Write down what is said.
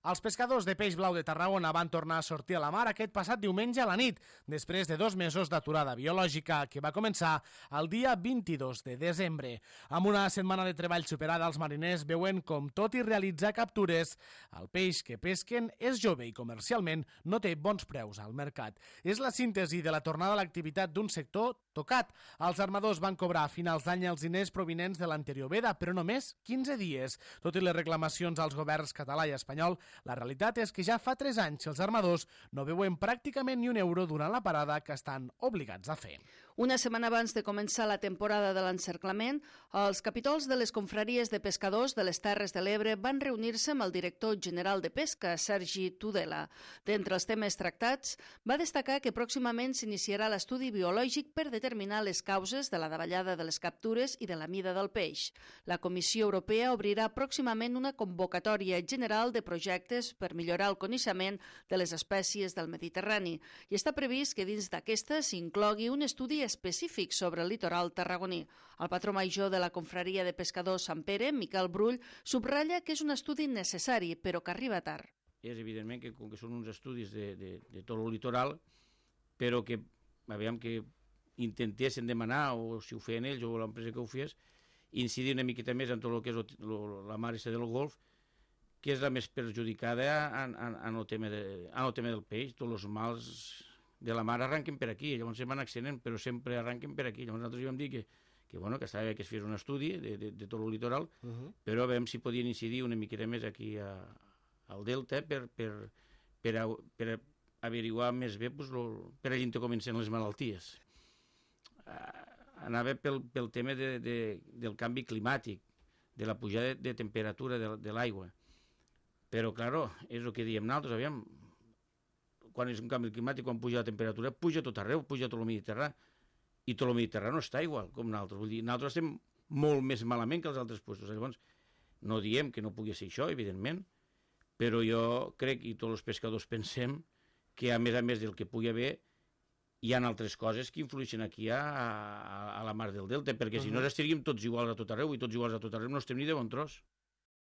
Els pescadors de peix blau de Tarragona van tornar a sortir a la mar aquest passat diumenge a la nit, després de 2 mesos d'aturada biològica que va començar el dia 22 de desembre. Amb una setmana de treball superada, els mariners veuen com, tot i realitzar captures, el peix que pesquen és jove i comercialment no té bons preus al mercat. És la síntesi de la tornada a l'activitat d'un sector tocat. Els armadors van cobrar a finals d'any els diners provinents de l'anterior veda, però només 15 dies. Tot i les reclamacions als governs català i espanyol, la realitat és que ja fa 3 anys els armadors no veuen pràcticament ni un euro durant la parada que estan obligats a fer. Una setmana abans de començar la temporada de l'encerclament, els capítols de les confraries de pescadors de les Terres de l'Ebre van reunir-se amb el director general de Pesca, Sergi Tudela. D'entre els temes tractats, va destacar que pròximament s'iniciarà l'estudi biològic per determinar les causes de la davallada de les captures i de la mida del peix. La Comissió Europea obrirà pròximament una convocatòria general de projectes per millorar el coneixement de les espècies del Mediterrani i està previst que dins d'aquesta s'inclogui un estudi específic sobre el litoral tarragoní. El patró major de la confraria de pescadors Sant Pere, Miquel Brull, subratlla que és un estudi necessari, però que arriba tard. És evidentment que, com que són uns estudis de tot el litoral, però que, aviam que intentessin demanar, o si ho feien ells o l'empresa que ho fes, incidir una miqueta més en tot el que és la mar del Golf, que és la més perjudicada en el tema del peix. Tots els mals de la mar arranquen per aquí, llavors se van accident, però sempre arranquen per aquí. Llavors nosaltres vam dir que estava bé que es fes un estudi de tot el litoral, però veiem si podien incidir una miqueta més aquí al delta per averiguar més bé per allà on comencen les malalties. Anava pel tema del canvi climàtic, de la pujada de temperatura de l'aigua. Però, clar, és el que diem nosaltres, aviam, quan és un canvi climàtic, quan puja la temperatura, puja tot arreu, puja tot el Mediterrani, i tot el Mediterrani no està igual com nosaltres. Vull dir, nosaltres estem molt més malament que els altres puestos. Llavors, no diem que no pugui ser això, evidentment, però jo crec, i tots els pescadors pensem, que a més del que pugui haver, hi ha altres coses que influeixen aquí a la mar del Delta, perquè si no estaríem tots iguals a tot arreu, i tots iguals a tot arreu no estem ni de bon tros.